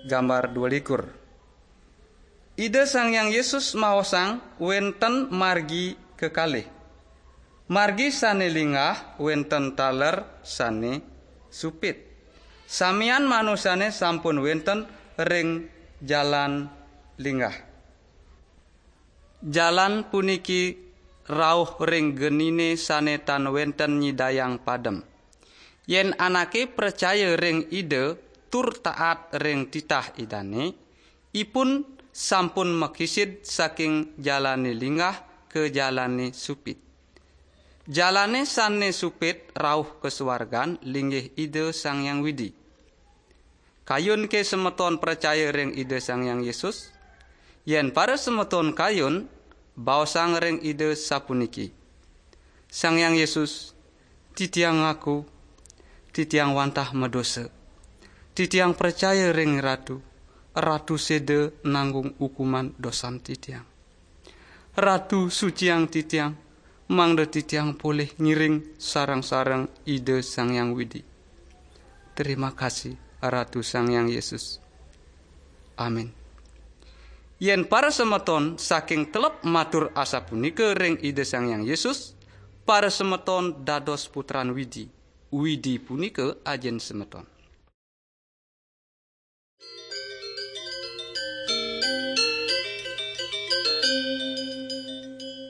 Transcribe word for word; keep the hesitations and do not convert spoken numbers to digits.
Gambar dua likur. Ida Sang Hyang Yesus maosang wenten margi kekalih. Margi sane linggah wenten taler sane supit. Samian manusane sampun wenten ring jalan linggah. Jalan puniki rauh ring genine sane tan wenten nyidayang padem. Yen anake pracaya ring Ida tur taat ring titah Idane, ipun sampun makisid saking jalane linggah ka jalane supit. Jalane sane supit rauh ka suargan linggih Ida Sang Hyang Widi. Kayun ke semeton pracaya ring Ida Sang Hyang Yesus? Yen para semeton kayun, baosang ring Ida sapuniki: "Sang Hyang Yesus, titiang ngaku, titiang wantah madosa. Titiang pracaya ring Ratu, Ratu seda nanggung hukuman dosan titiang. Ratu, suciang titiang, mangda titiang polih ngiring sareng-sareng Ida Sang Hyang Widi." Terima kasih, Ratu Sang Hyang Yesus. Amin. Yen para semeton saking telep matur asapunika ring Ida Sang Hyang Yesus, para semeton dados putran Widi. Widi punika ajin semeton.